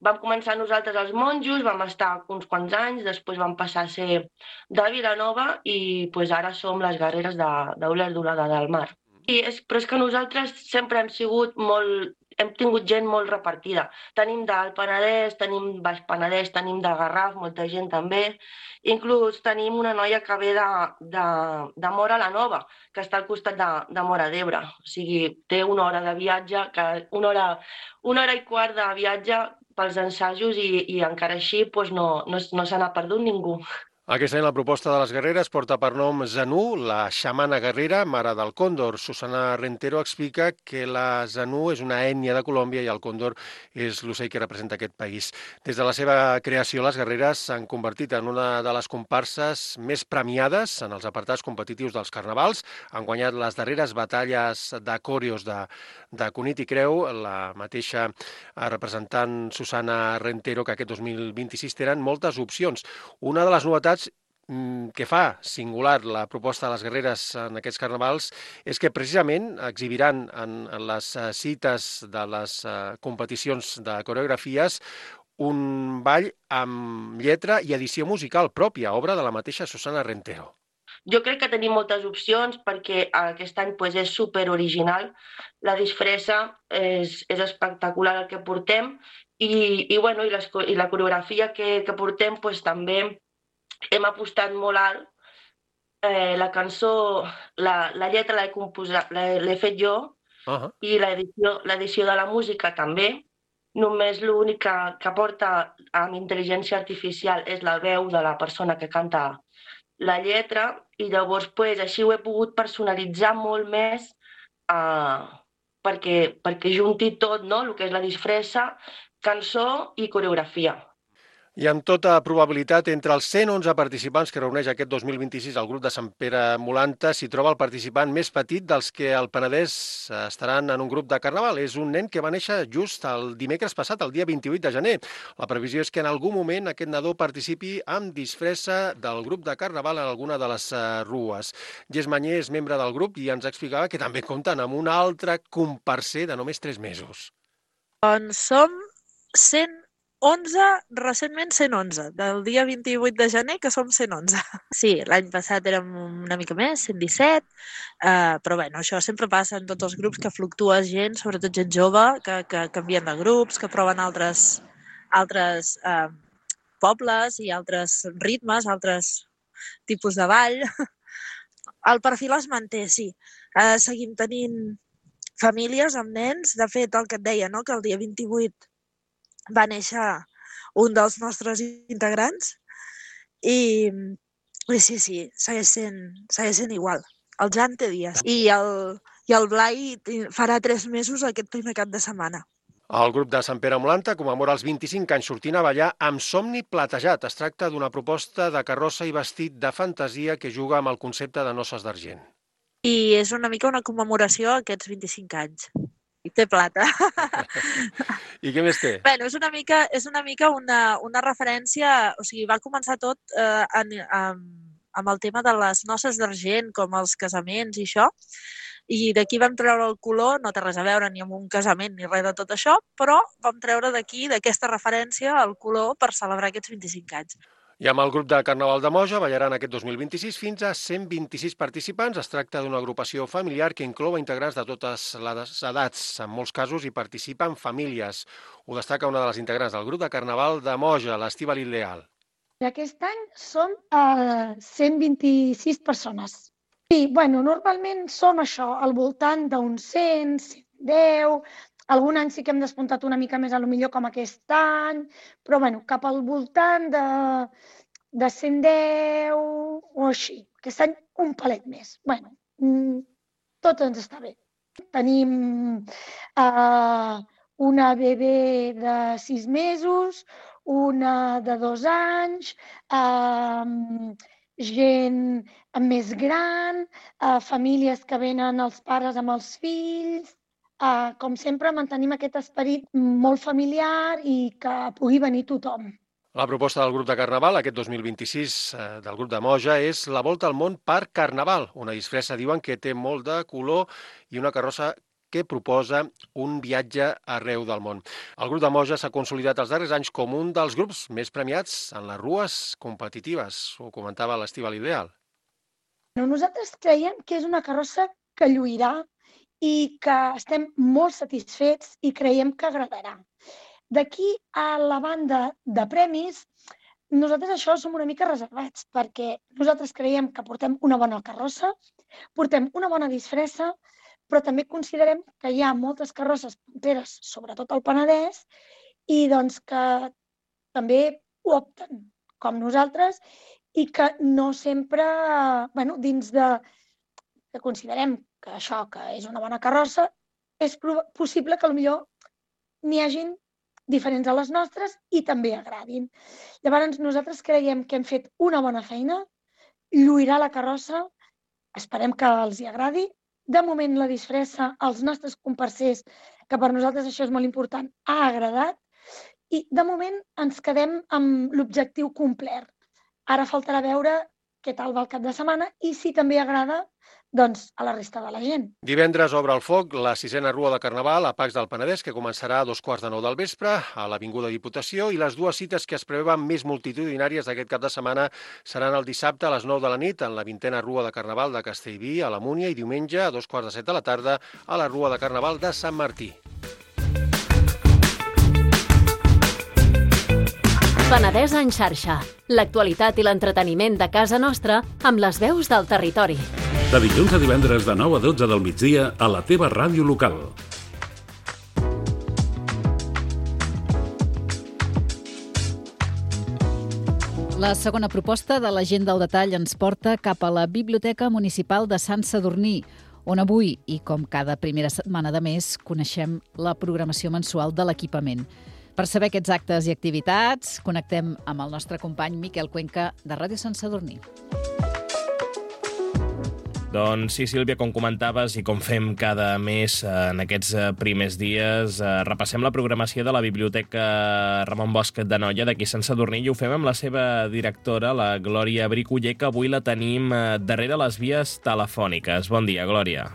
Vam començar nosaltres els Monjos, vam estar uns quants anys, després vam passar a ser de Vilanova i ara som les guerreres d'Olèrdola de Del Mar. Però és que nosaltres sempre hem tingut gent molt repartida. Tenim del Penedès, tenim Baix Penedès, tenim de Garraf, molta gent també. Inclús tenim una noia que ve de Móra la Nova, que està al costat de Móra d'Ebre. O sigui, té una hora de viatge, una hora i quart de viatge pels ensajos i encara així no se n'ha perdut ningú. Aquest any la proposta de les guerreres porta per nom Zanú, la xamana guerrera, mare del còndor. Susana Rentero explica que la Zanú és una ètnia de Colòmbia i el còndor és l'ocell que representa aquest país. Des de la seva creació, les guerreres s'han convertit en una de les comparses més premiades en els apartats competitius dels carnavals. Han guanyat les darreres batalles de còreos de Cunit i Creu, la mateixa representant Susana Rentero, que aquest 2026 tenen moltes opcions. Una de les novetats que fa singular la proposta de les guerreres en aquests carnavals és que precisament exhibiran en les cites de les competicions de coreografies un ball amb lletra i edició musical pròpia, obra de la mateixa Susana Rentero. Jo crec que tenim moltes opcions perquè aquest any pues, és super original. La disfressa és espectacular el que portem i la coreografia que portem pues, també hem apostat molt alt. La cançó, la lletra l'he fet jo i l'edició de la música també. Només l'únic que porta amb intel·ligència artificial és la veu de la persona que canta la lletra i llavors pues, així ho he pogut personalitzar molt més perquè junti tot, no? El que és la disfressa, cançó i coreografia. I amb tota probabilitat, entre els 111 participants que reuneix aquest 2026 el grup de Sant Pere Molanta, s'hi troba el participant més petit dels que al Penedès estaran en un grup de carnaval. És un nen que va néixer just el dimecres passat, el dia 28 de gener. La previsió és que en algun moment aquest nadó participi amb disfressa del grup de carnaval en alguna de les rues. Gés Mañé és membre del grup i ens explicava que també compten amb un altre comparser de només 3 mesos. Doncs som 111, recentment 111, del dia 28 de gener que som 111. Sí, l'any passat érem una mica més, 117, però bueno, això sempre passa en tots els grups, que fluctua gent, sobretot gent jove, que canvien de grups, que proven altres pobles i altres ritmes, altres tipus de ball. El perfil es manté, sí. Seguim tenint famílies amb nens. De fet, el que et deia, no?, que el dia 28 va néixer un dels nostres integrants i sí, segueix sent igual. El Jan té dies i el Blai farà 3 mesos aquest primer cap de setmana. El grup de Sant Pere Molanta commemora els 25 anys sortint a ballar amb Somni Platejat. Es tracta d'una proposta de carrossa i vestit de fantasia que juga amb el concepte de noces d'argent. I és una mica una commemoració a aquests 25 anys. I té plata. I què més té? Bueno, és una mica una referència, o sigui, va començar tot amb el tema de les noces d'argent, com els casaments i això, i d'aquí vam treure el color, no té res a veure ni amb un casament ni res de tot això, però vam treure d'aquí, d'aquesta referència, el color per celebrar aquests 25 anys. I amb el grup de Carnaval de Moja ballaran aquest 2026 fins a 126 participants. Es tracta d'una agrupació familiar que inclou integrants de totes les edats. En molts casos hi participen famílies. Ho destaca una de les integrants del grup de Carnaval de Moja, l'Estíbaliz Leal. Aquest any som 126 persones. I, normalment som això, al voltant d'uns 100, 110... Algun any sí que hem despuntat una mica més, potser com aquest any, però cap al voltant de 110 o així. Aquest any un palet més. Tot ens està bé. Tenim una bebè de 6 mesos, una de 2 anys, gent més gran, famílies que venen els pares amb els fills. Com sempre, mantenim aquest esperit molt familiar i que pugui venir tothom. La proposta del grup de Carnaval, aquest 2026 del grup de Moja, és la Volta al Món per Carnaval, una disfressa, diuen, que té molt de color i una carrossa que proposa un viatge arreu del món. El grup de Moja s'ha consolidat els darrers anys com un dels grups més premiats en les rues competitives, ho comentava l'Estíbaliz Leal. Nosaltres creiem que és una carrossa que lluirà i que estem molt satisfets i creiem que agradarà. D'aquí a la banda de premis, nosaltres això som una mica reservats, perquè nosaltres creiem que portem una bona carrossa, portem una bona disfressa, però també considerem que hi ha moltes carrosses punteres, sobretot al Penedès, i doncs que també ho opten com nosaltres i que no sempre, dins de que considerem que això, que és una bona carrossa, és possible que potser n'hi hagin diferents a les nostres i també agradin. Llavors, nosaltres creiem que hem fet una bona feina, lluirà la carrossa, esperem que els hi agradi. De moment, la disfressa, als nostres comparsers, que per nosaltres això és molt important, ha agradat i de moment ens quedem amb l'objectiu complet. Ara faltarà veure què tal va el cap de setmana i si també agrada doncs, a la resta de la gent. Divendres obre el foc la 6a Rua de Carnaval a Pacs del Penedès, que començarà a 2:45 del vespre a l'Avinguda Diputació, i les dues cites que es preveuen més multitudinàries d'aquest cap de setmana seran el dissabte a les 9 de la nit en la 20a Rua de Carnaval de Castellví, a la Múnia, i diumenge a 2:45 de la tarda a la Rua de Carnaval de Sant Martí. Penedès en xarxa. L'actualitat i l'entreteniment de casa nostra amb les veus del territori. De dilluns a divendres de 9 a 12 del migdia a la teva ràdio local. La segona proposta de l'Agenda al detall ens porta cap a la Biblioteca Municipal de Sant Sadurní, on avui, i com cada primera setmana de mes, coneixem la programació mensual de l'equipament. Per saber aquests actes i activitats, connectem amb el nostre company Miquel Cuenca, de Ràdio Sant Sadurní. Doncs sí, Sílvia, com comentaves i com fem cada mes en aquests primers dies, repassem la programació de la Biblioteca Ramon Bosch d'Anoia d'aquí Sant Sadurní i ho fem amb la seva directora, la Glòria Briculler, que avui la tenim darrere les vies telefòniques. Bon dia, Glòria.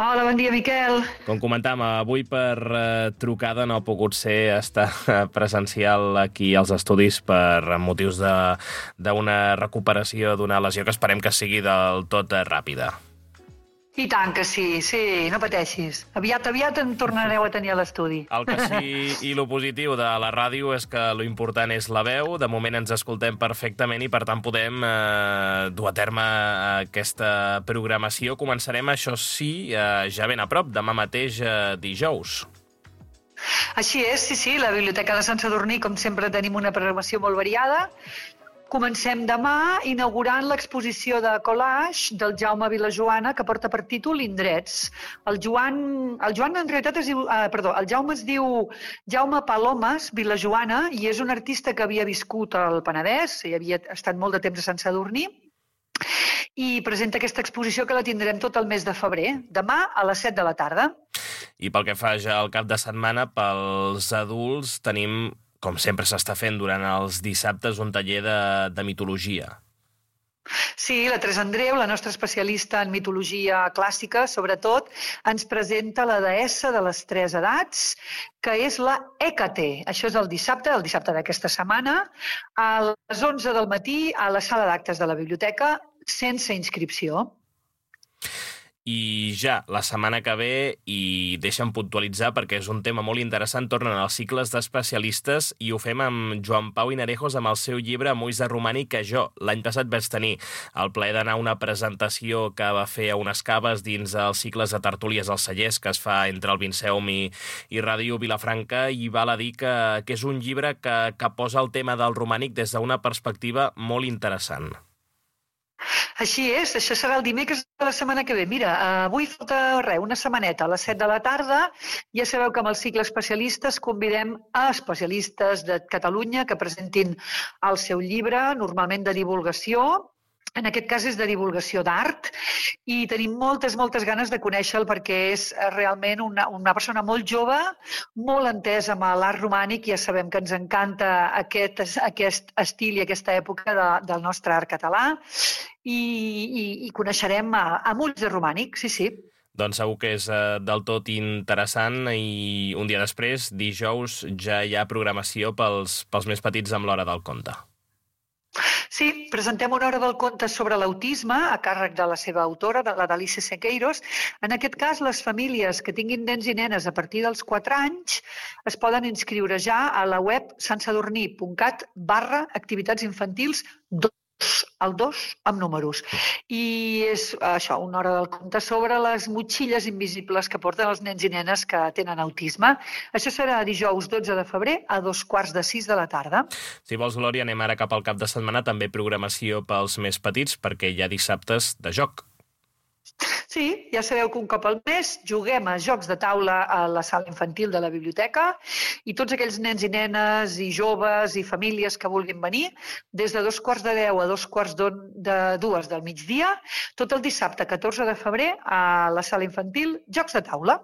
Hola, bon dia, Miquel. Com comentàvem, avui per trucada no ha pogut ser estar presencial aquí als estudis per motius d'una recuperació d'una lesió que esperem que sigui del tot ràpida. I tant que sí, no pateixis. Aviat em tornareu a tenir a l'estudi. El que sí i lo positiu de la ràdio és que lo important és la veu. De moment ens escoltem perfectament i per tant podem dur a terme aquesta programació. Començarem, això sí, ja ben a prop, demà mateix dijous. Així és, sí, la Biblioteca de Sant Sadurní, com sempre, tenim una programació molt variada. Comencem demà inaugurant l'exposició de collage del Jaume Vilajoana, que porta per títol Indrets. El Jaume es diu Jaume Palomes Vilajoana i és un artista que havia viscut al Penedès i havia estat molt de temps a Sant Sadurní i presenta aquesta exposició que la tindrem tot el mes de febrer, demà a les 7 de la tarda. I pel que fa ja al cap de setmana, pels adults tenim, com sempre s'està fent durant els dissabtes, un taller de mitologia. Sí, la Teresa Andreu, la nostra especialista en mitologia clàssica, sobretot, ens presenta la deessa de les tres edats, que és la Hècate. Això és el dissabte d'aquesta setmana, a les 11 del matí, a la sala d'actes de la biblioteca, sense inscripció. I ja la setmana que ve, i deixa'm puntualitzar perquè és un tema molt interessant, tornen els cicles d'especialistes i ho fem amb Joan Pau Hinarejos amb el seu llibre Moïse Romànic, que jo l'any passat vaig tenir el plaer d'anar a una presentació que va fer a unes caves dins els cicles de tertúlies als cellers que es fa entre el Vinceum i Ràdio Vilafranca, i val a dir que és un llibre que posa el tema del romànic des d'una perspectiva molt interessant. Així és, això serà el dimecres de la setmana que ve. Mira, avui falta una setmaneta, a les 7 de la tarda. Ja sabeu que amb el cicle especialistes convidem a especialistes de Catalunya que presentin el seu llibre, normalment de divulgació. En aquest cas és de divulgació d'art i tenim moltes ganes de conèixer-lo perquè és realment una persona molt jove, molt entesa amb l'art romànic. Ja sabem que ens encanta aquest estil i aquesta època del nostre art català i coneixerem a ulls de romànic, sí. Doncs segur que és del tot interessant i un dia després, dijous, ja hi ha programació pels més petits amb l'Hora del Conte. Sí, presentem una hora del conte sobre l'autisme a càrrec de la seva autora, la d'Alice Sequeiros. En aquest cas, les famílies que tinguin nens i nenes a partir dels 4 anys es poden inscriure ja a la web santsadurní.cat/activitats infantils 2, el 2 amb números. I és això, una hora del conte sobre les motxilles invisibles que porten els nens i nenes que tenen autisme. Això serà dijous 12 de febrer a 5:45 de la tarda. Si vols, Glòria, anem ara cap al cap de setmana, també programació pels més petits, perquè hi ha dissabtes de joc. Sí, ja sabeu que un cop al mes juguem a jocs de taula a la sala infantil de la biblioteca i tots aquells nens i nenes i joves i famílies que vulguin venir, des de 2:45 a 2:45 del migdia, tot el dissabte 14 de febrer a la sala infantil, jocs de taula.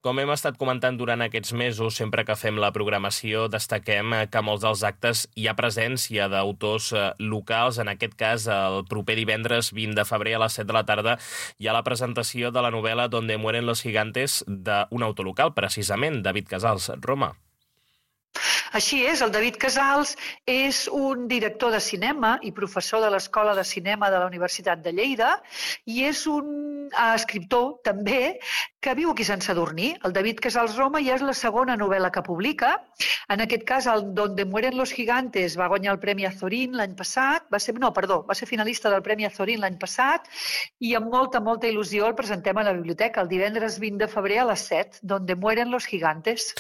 Com hem estat comentant durant aquests mesos, sempre que fem la programació, destaquem que a molts dels actes hi ha presència d'autors locals. En aquest cas, el proper divendres 20 de febrer a les 7 de la tarda hi ha la presentació de la novel·la Donde mueren los gigantes d'un autor local, precisament, David Casals, Roma. Així és, el David Casals és un director de cinema i professor de l'Escola de Cinema de la Universitat de Lleida i és un escriptor també que viu aquí a Sant Sadurní. El David Casals Roma ja és la segona novel·la que publica. En aquest cas, el Donde mueren los gigantes va guanyar el Premi Azorín l'any passat, va ser finalista del Premi Azorín l'any passat i amb molta il·lusió el presentem a la biblioteca el divendres 20 de febrer a les 7, Donde mueren los gigantes.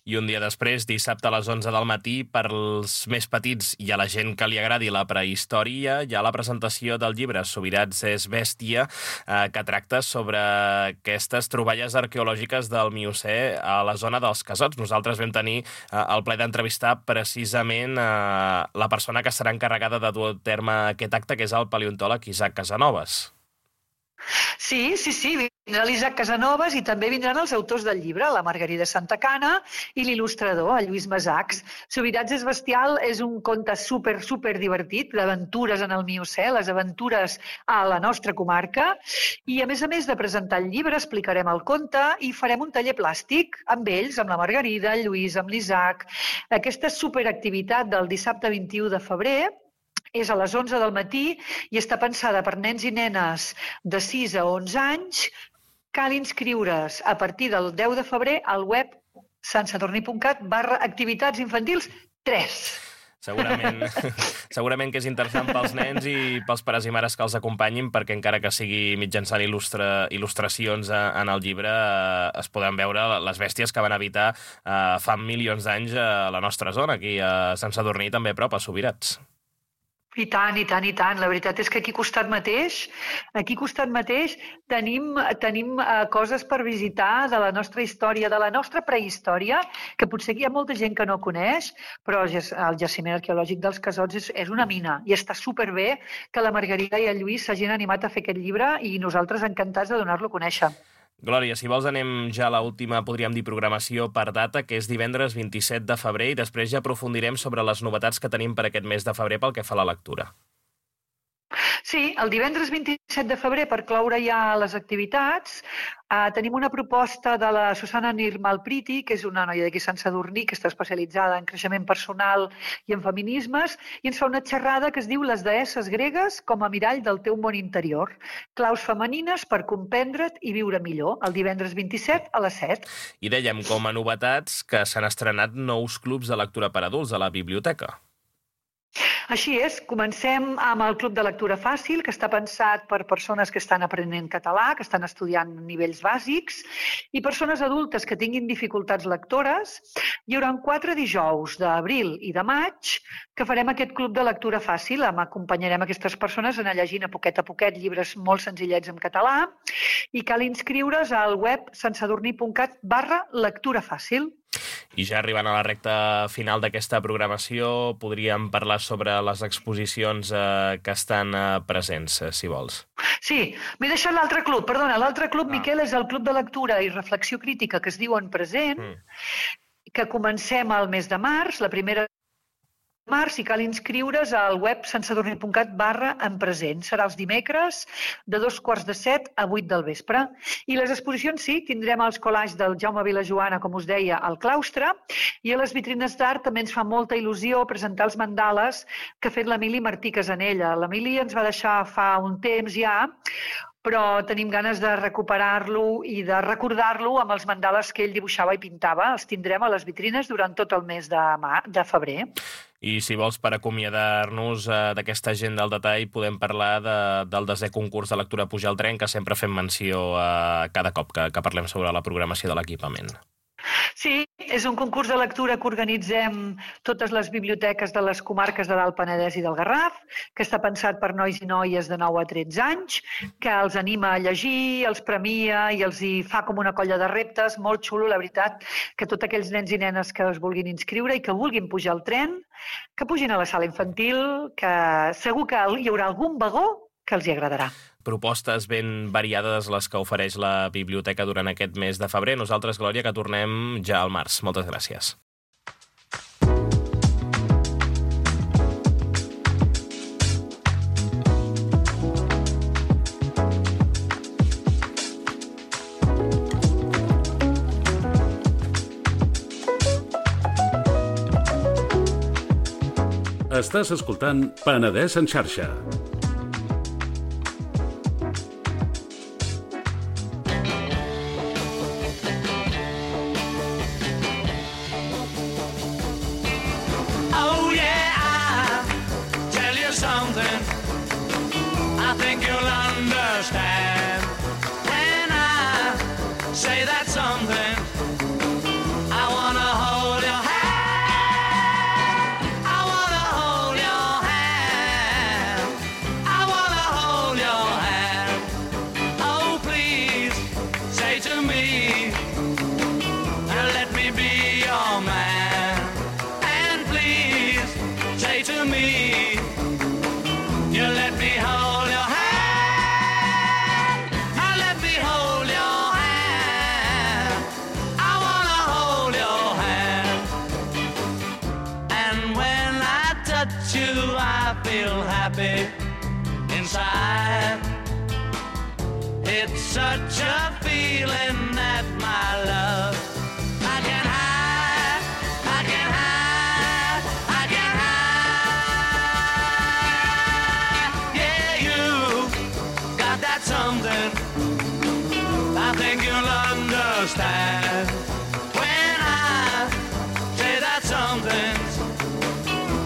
I un dia després, dissabte a les 11 del matí, per als més petits i a la gent que li agradi la prehistòria, hi ha la presentació del llibre Subirats és bèstia, que tracta sobre aquestes troballes arqueològiques del Miocè a la zona dels Casots. Nosaltres vam tenir el plaer d'entrevistar precisament la persona que serà encarregada de dur a terme aquest acte, que és el paleontòleg Isaac Casanovas. Sí, vindrà l'Isaac Casanovas i també vindran els autors del llibre, la Margarida Santacana i l'il·lustrador, el Lluís Masachs. Subirats és bestial és un conte super divertit, d'aventures en el Miocè, les aventures a la nostra comarca, i a més de presentar el llibre, explicarem el conte i farem un taller plàstic amb ells, amb la Margarida, el Lluís, amb l'Isaac. Aquesta superactivitat del dissabte 21 de febrer és a les 11 del matí i està pensada per nens i nenes de 6 a 11 anys. Cal inscriure's a partir del 10 de febrer al web santsadurní.cat/activitats infantils 3. Segurament que és interessant pels nens i pels pares i mares que els acompanyin, perquè encara que sigui mitjançant il·lustracions en el llibre, es poden veure les bèsties que van habitar fa milions d'anys a la nostra zona, aquí a Sant Sadurní, també a prop, a Subirats. I tant. La veritat és que aquí al costat mateix tenim coses per visitar de la nostra història, de la nostra prehistòria, que potser hi ha molta gent que no coneix, però el jaciment arqueològic dels Casots és una mina i està superbé que la Margarida i el Lluís s'hagin animat a fer aquest llibre i nosaltres encantats de donar-lo a conèixer. Glòria, si vols anem ja a l'última, podríem dir, programació per data, que és divendres 27 de febrer, i després ja aprofundirem sobre les novetats que tenim per aquest mes de febrer pel que fa a la lectura. Sí, el divendres 27 de febrer, per cloure ja les activitats, tenim una proposta de la Susana Nirmalpriti, que és una noia d'aquí a Sant Sadurní, que està especialitzada en creixement personal i en feminismes, i ens fa una xerrada que es diu Les deesses gregues com a mirall del teu món interior. Claus femenines per comprendre't i viure millor, el divendres 27 a les 7. I dèiem, com a novetats, que s'han estrenat nous clubs de lectura per adults a la biblioteca. Així és, comencem amb el Club de Lectura Fàcil, que està pensat per persones que estan aprenent català, que estan estudiant nivells bàsics, i persones adultes que tinguin dificultats lectores. Hi haurà 4 dijous d'abril i de maig que farem aquest Club de Lectura Fàcil. Acompanyarem aquestes persones a anar llegint a poquet llibres molt senzillets en català i cal inscriure's al web santsadurní.cat/lectura fàcil. I ja arribant a la recta final d'aquesta programació, podríem parlar sobre les exposicions que estan presents, si vols. Sí, m'he deixat l'altre club, perdona. L'altre club, Miquel, és el Club de Lectura i Reflexió Crítica, que es diu En Present, que comencem al mes de març, la primera març, i cal inscriure's al web santsadurní.cat/enpresent. Serà els dimecres de 6:45 a 8 del vespre. I les exposicions, sí, tindrem els collages del Jaume Vilajoana, com us deia, al claustre, i a les vitrines d'art també ens fa molta il·lusió presentar els mandales que ha fet l'Emili Martí Casanella. L'Emili ens va deixar fa un temps ja, però tenim ganes de recuperar-lo i de recordar-lo amb els mandales que ell dibuixava i pintava. Els tindrem a les vitrines durant tot el mes de febrer. I si vols, per acomiadar-nos d'aquesta agenda al detall, podem parlar del 10è concurs de lectura Pujar al tren, que sempre fem menció cada cop que parlem sobre la programació de l'equipament. Sí, és un concurs de lectura que organitzem totes les biblioteques de les comarques de l'Alt Penedès i del Garraf, que està pensat per nois i noies de 9 a 13 anys, que els anima a llegir, els premia i els hi fa com una colla de reptes, molt xulo, la veritat, que tots aquells nens i nenes que es vulguin inscriure i que vulguin pujar al tren, que pugin a la sala infantil, que segur que hi haurà algun vagó que els hi agradarà. Propostes ben variades les que ofereix la biblioteca durant aquest mes de febrer. Nosaltres, Glòria, que tornem ja al març. Moltes gràcies. Estàs escoltant Penedès en xarxa. Oh yeah, I'll tell you something I think you'll understand when I say that something. I wanna hold your hand. Inside, it's such a feeling that my love I can hide, I can hide, I can hide. Yeah, you got that something I think you'll understand when I say that something.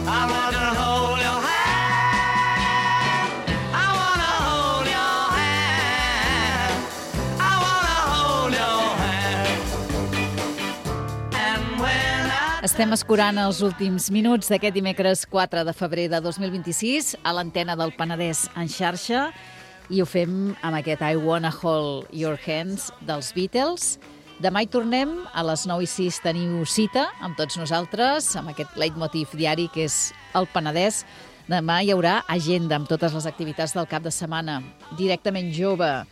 I want to hold your hand. Estem escurant els últims minuts d'aquest dimecres 4 de febrer de 2026 a l'antena del Penedès en xarxa i ho fem amb aquest I Wanna Hold Your Hands dels Beatles. Demà hi tornem, a les 9:06 teniu cita amb tots nosaltres, amb aquest leitmotiv diari que és el Penedès. Demà hi haurà agenda amb totes les activitats del cap de setmana. Directament jove,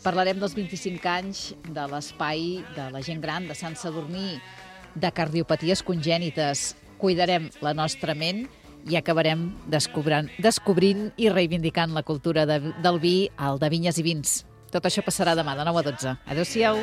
parlarem dels 25 anys de l'espai de la gent gran de Sant Sadurní, de cardiopaties congènites. Cuidarem la nostra ment i acabarem descobrint i reivindicant la cultura del vi, el de vinyes i vins. Tot això passarà demà de 9 a 12. Adéu-siau.